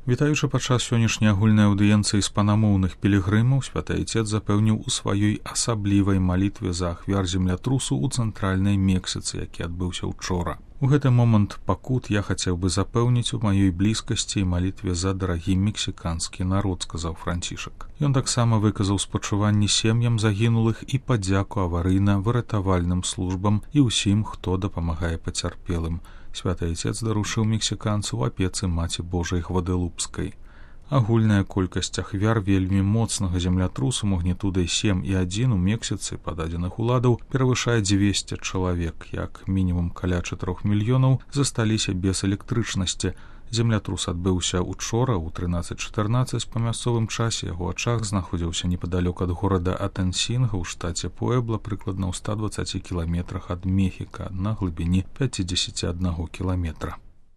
Вітаючы падчас сённяшняй агульнай аўдыенцыі іспанамоўных пілігрымаў, святы айцец запэўніў у сваёй асаблівай малітве за ахвяр землятрусу ў цэнтральнай Мексіцы, які адбыўся учора. У гэты момант пакут я хацеў бы запэўніць у маёй блізкасці і малітве за дарагі мексіканскі народ, сказаў Францішак. Ён таксама выказаў спачуванні сем'ям загінулых і падзяку аварыйна-выратавальным службам і ўсім, хто дапамагае пацярпелым. Святы айцец даручыў мексіканцу ў апецы Маці Божай Гвадэлупскай. Агульная колькасць ахвяр вельмі моцнага землятрусу магнітудай 7,1 у Мексіцы па дадзеных уладаў перавышае 200 чалавек, як мінімум каля 4 мільёнаў засталіся без электрычнасці. Землятрус адбыўся учора ў 13:14 па мясцовым часе. Яго ачаг знаходзіўся непадалёк ад горада Атэнсінга ў штаце Пуэбла, прыкладна ў 120 кіламетрах ад Мехіка на глыбіні 51 кіламетра.